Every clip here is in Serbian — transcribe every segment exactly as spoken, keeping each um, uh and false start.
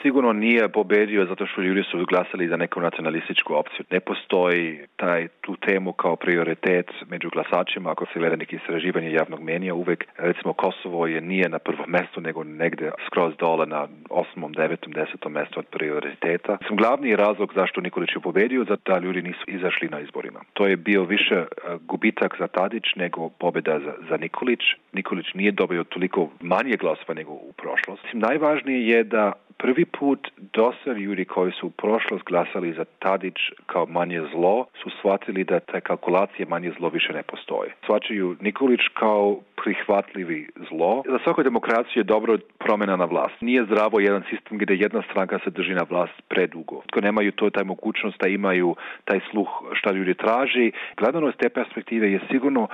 sigurno nije pobedio zato što ljudi su glasali za neku nacionalističku opciju. Ne postoji taj, tu temu kao prioritet među glasačima. Ako se gleda neki istraživanje javnog mnjenja, uvek recimo Kosovo je nije na prvom mestu, nego negde skroz dole na osmom, devetom, desetom mestu od prioriteta. Sam glavni razlog zašto Nikolić je pobedio, zato da ljudi nisu izašli na izborima. To je bio više gubitak za Tadić nego pobjeda za, za Nikolić. Nikolić nije dobio toliko manje glasova nego u prošlosti. Najvažnije je da prvi put dosta ljudi koji su u prošlost glasali za Tadić kao manje zlo su shvatili da te kalkulacije manje zlo više ne postoje. Shvaćaju Nikolić kao prihvatljivi zlo. Za svaku demokraciju je dobro promjena na vlast. Nije zdravo jedan sistem gdje jedna stranka se drži na vlast predugo. Ko nemaju to taj mogućnost da imaju taj sluh šta ljudi traži. Gledano iz te perspektive je sigurno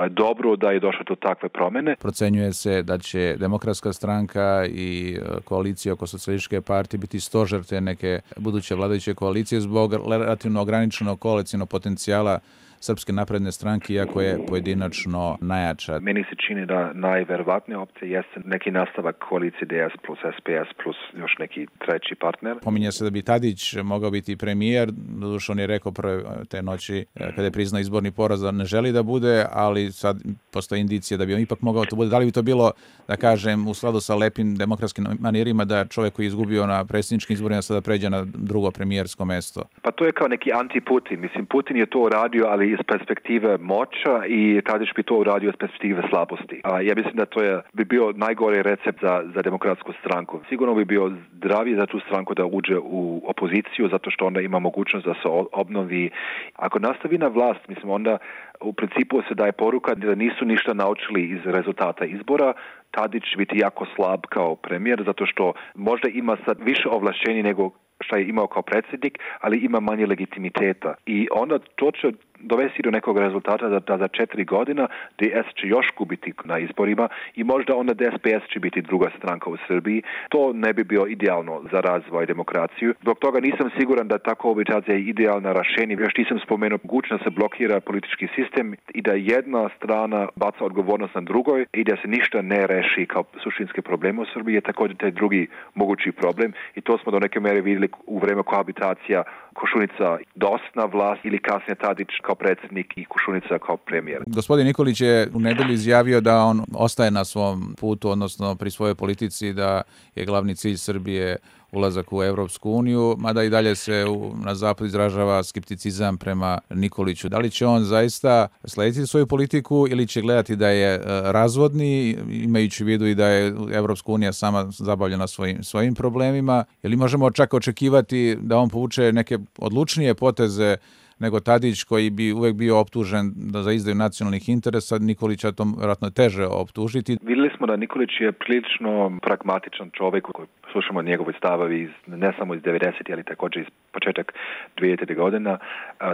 dobro da je došlo do takve promjene. Procenjuje se da će Demokratska stranka i koalicija oko Socijalističke partije biti stožer te neke buduće vladajuće koalicije zbog relativno ograničenog koalicijnog potencijala Srpske napredne stranke, iako je pojedinačno najjača. Meni se čini da najverovatnija opcija jeste neki nastavak koalicije D S plus S P S plus još neki treći partner. Pominje se da bi Tadić mogao biti premijer, doduše on je rekao prve te noći kada je priznao izborni poraz da ne želi da bude, ali sad postoji indicija da bi on ipak mogao to bude. Da li bi to bilo, da kažem, u skladu sa lepim demokratskim manirima da čovjek koji je izgubio na predsjedničkim izborima sada pređe na drugo premijersko mesto? Pa to je kao neki anti-Putin. Mislim, Putin je to uradio, ali iz perspektive moća i Tadić bi to uradio iz perspektive slabosti. A ja mislim da to je, bi bio najgori recept za, za demokratsku stranku. Sigurno bi bio zdraviji za tu stranku da uđe u opoziciju, zato što onda ima mogućnost da se obnovi. Ako nastavi na vlast, mislim, onda u principu se daje poruka da nisu ništa naučili iz rezultata izbora. Tadić će biti jako slab kao premijer, zato što možda ima sad više ovlašćenja nego što je imao kao predsjednik, ali ima manje legitimiteta. I onda to će dovesti do nekog rezultata da, da za četiri godina D S će još gubiti na izborima i možda onda D S P S će biti druga stranka u Srbiji. To ne bi bio idealno za razvoj demokraciju. Zbog toga nisam siguran da ta kohabitacija je idealna rješenje. Još nisam spomenuo mogućnost da se blokira politički sistem i da jedna strana baca odgovornost na drugoj i da se ništa ne reši kao suštinske probleme u Srbiji je također taj drugi mogući problem i to smo do neke mere vidjeli u vreme kohabitacija Košunica dost na vlast ili kasnije Tadić kao predsjednik i Košunica kao premijer. Gospodin Nikolić je u nedelju izjavio da on ostaje na svom putu, odnosno pri svojoj politici, da je glavni cilj Srbije ulazak u Evropsku uniju, mada i dalje se u, na zapad izražava skepticizam prema Nikoliću. Da li će on zaista slediti svoju politiku ili će gledati da je razvodni, imajući u vidu i da je Evropska unija sama zabavljena svojim, svojim problemima? Ili možemo čak očekivati da on povuče neke odlučnije poteze nego Tadić koji bi uvek bio optužen da za izdaju nacionalnih interesa, Nikolića to vjerojatno teže optužiti. Vidjeli smo da Nikolić je prilično pragmatičan čovjek koji slušamo njegove stavovi iz, ne samo iz devedesetih, ali također iz početak dvedesetih godina.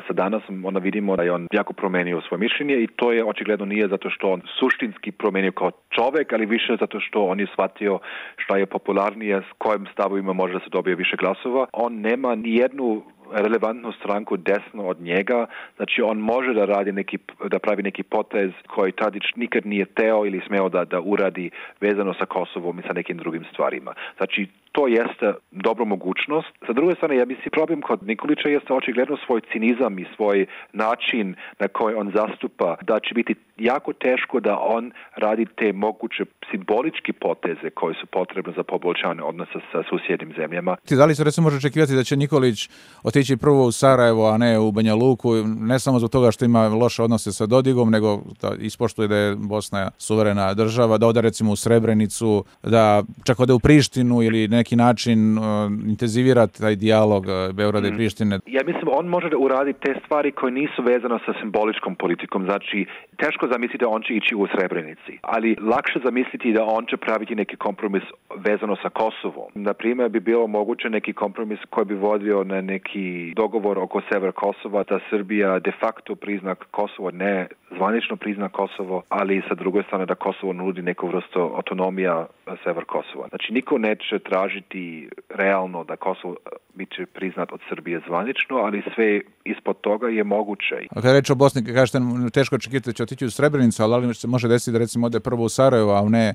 Sa danas onda vidimo da je on jako promenio svoje mišljenje i to je očigledno nije zato što on suštinski promenio kao čovjek, ali više zato što on je shvatio šta je popularnije, s kojim stavovima može da se dobije više glasova. On nema ni jednu relevantnu stranku desno od njega, znači on može da radi neki, da pravi neki potez koji Tadić nikad nije teo ili smeo da, da uradi vezano sa Kosovom i sa nekim drugim stvarima. Znači to jeste dobra mogućnost. Sa druge strane, ja mislim, problem kod Nikolića jeste očigledno svoj cinizam i svoj način na koji on zastupa, da će biti jako teško da on radi te moguće simbolički poteze koji su potrebne za poboljšanje odnosa sa susjednim zemljama. Da li se recimo može očekivati da će Nikolić otići prvo u Sarajevo, a ne u Banja Luku, ne samo zbog toga što ima loše odnose sa Dodigom, nego da ispoštuje da je Bosna suverena država, da ode recimo u Srebrenicu, da čak ode u Prištinu ili neki način uh, intenzivira taj dijalog uh, Beograda mm. i Prištine? Ja mislim, on može da uradi te stvari koje nisu vezane sa simboličkom politikom. Znači, teško zamisliti da on će ići u Srebrenici, ali lakše zamisliti da on će praviti neki kompromis vezano sa Kosovom. Naprimjer, bi bilo moguće neki kompromis koji bi vodio na neki dogovor oko sever Kosova, da Srbija de facto prizna Kosovo, ne zvanično prizna Kosovo, ali sa druge strane da Kosovo nudi neku vrstu autonomija sever Kosova. Znači, niko neće tražiti realno da Kosovo biće priznat od Srbije zvanično, ali sve ispod toga je moguće. A kada reći o Bosni, kažete, teško očekivati da će otići u Srebrenicu, ali se može desiti da recimo ode prvo u Sarajevo, a ne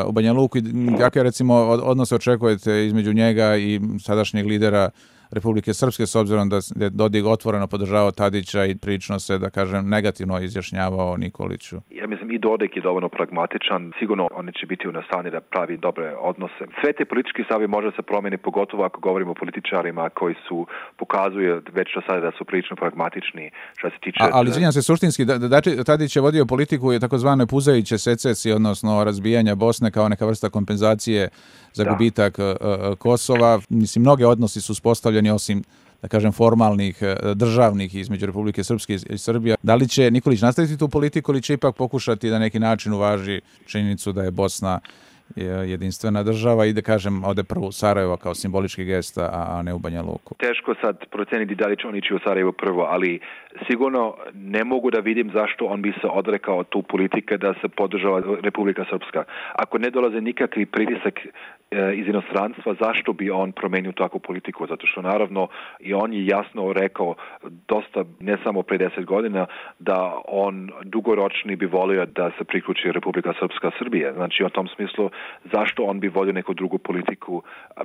u Banja Luku i kakve recimo odnose očekujete između njega i sadašnjeg lidera Republike Srpske, s obzirom da je Dodik otvoreno podržavao Tadića i prilično se, da kažem, negativno izjašnjavao Nikoliću? Ja mislim i Dodik je dovoljno pragmatičan. Sigurno oni će biti u nastanju da pravi dobre odnose. Sve te politički stavovi može se promijeni, pogotovo ako govorimo o političarima koji su pokazuju već do sada da su prilično pragmatični što se tiče... A, ali izvinjam se, suštinski, da, da, Tadić je vodio politiku je takozvane puzajuće secesije, odnosno razbijanja Bosne kao neka vrsta kompenzacije za da. gubitak uh, Kosova. Mislim, mnoge odnosi su uspostavljeni osim, da kažem, formalnih, državnih između Republike Srpske i Srbije. Da li će Nikolić nastaviti tu politiku ili će ipak pokušati da neki način uvaži činjenicu da je Bosna jedinstvena država i da kažem ode prvo u Sarajevo kao simbolički gest, a ne u Banja Luku? Teško sad proceniti da li će on ići u Sarajevo prvo, ali sigurno ne mogu da vidim zašto on bi se odrekao tu politike da se podržava Republika Srpska. Ako ne dolaze nikakvi pritisak iz inostranstva, zašto bi on promenio takvu politiku? Zato što naravno i on je jasno rekao dosta, ne samo pre deset godina, da on dugoročni bi volio da se priključi Republika Srpska Srbije. Znači u tom smislu zašto on bi vodio neku drugu politiku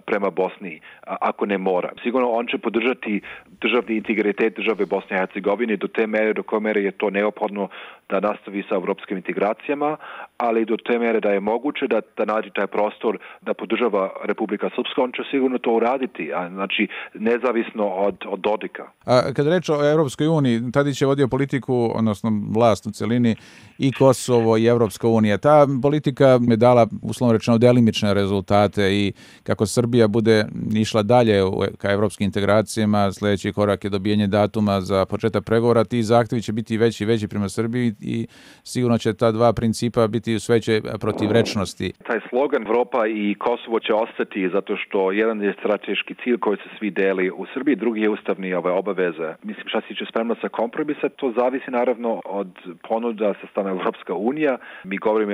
prema Bosni ako ne mora. Sigurno on će podržati državni integritet države Bosne i Hercegovine do te mere do koje mere je to neophodno da nastavi sa evropskim integracijama, ali do te mere da je moguće da, da nađe taj prostor da podržava Republika Srpska, on će sigurno to uraditi, a znači nezavisno od, od Dodika. A kad reč o Evropskoj uniji, Tadić je vodio politiku, odnosno vlast u celini, i Kosovo i Evropska unija. Ta politika je dala, uslovno rečeno, delimične rezultate i kako Srbija bude išla dalje ka evropskim integracijama, sljedeći korak je dobijanje datuma za početak pregovora, ti zahtjevi će biti veći i veći prema Srbiji i sigurno će ta dva principa biti sve veće protivrečnosti. Taj slogan Evropa i Kosovo će ostati zato što jedan je strateški cilj koji se svi deli u Srbiji, drugi je ustavni ove obaveze. Mislim, šta se tiče spremnost za kompromisa, to zavisi naravno od ponuda sa strane Evropska unija. Mi govorimo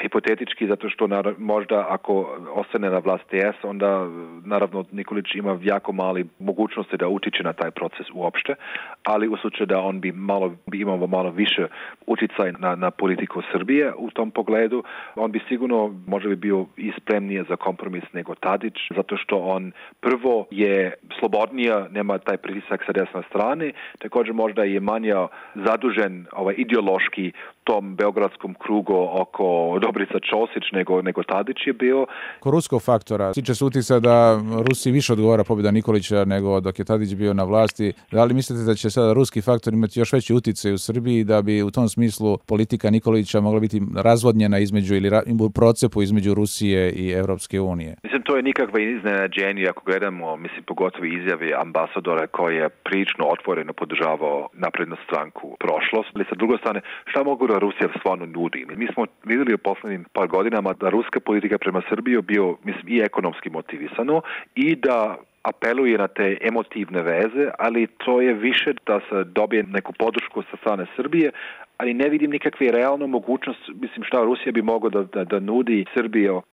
hipotetički zato što možda ako ostane na vlast D S, onda naravno Nikolić ima jako mali mogućnosti da utiče na taj proces uopšte, ali u slučaju da on bi malo bi imao malo više utjecaj na, na politiku Srbije u tom pogledu, on bi sigurno možda bi bio i spremnije za kompromis nego Tadić, zato što on prvo je slobodnija, nema taj pritisak sa desne strane, također možda je manje zadužen ovaj ideološki tom beogradskom krugu oko Dobrica Ćosić nego, nego Tadić je bio. Ko ruskog faktora, tiče se utjecaja da Rusiji više odgovara pobjeda Nikolića nego dok je Tadić bio na vlasti. Da li mislite da će sada ruski faktor imati još veći utjecaj u Srbiji da bi u tom smislu politika Nikolića mogla biti razvodnjena između ili u procepu između Rusije i Evropske unije? Mislim, to je nikakva iznenađenje ako gledamo, mislim, pogotovo izjave ambasadora koji je prilično otvoreno podržavao naprednu stranku prošlost. Ali sa druge strane, šta mogu da Rusija stvarno nudi? Mi smo vidjeli u poslednjim par godinama da ruska politika prema Srbiji bio, mislim, i ekonomski motivisano i da apeluje na te emotivne veze, ali to je više da se dobije neku podršku sa strane Srbije, ali ne vidim nikakve realno mogućnost, mislim, šta Rusija bi mogla da, da, da nudi Srbiji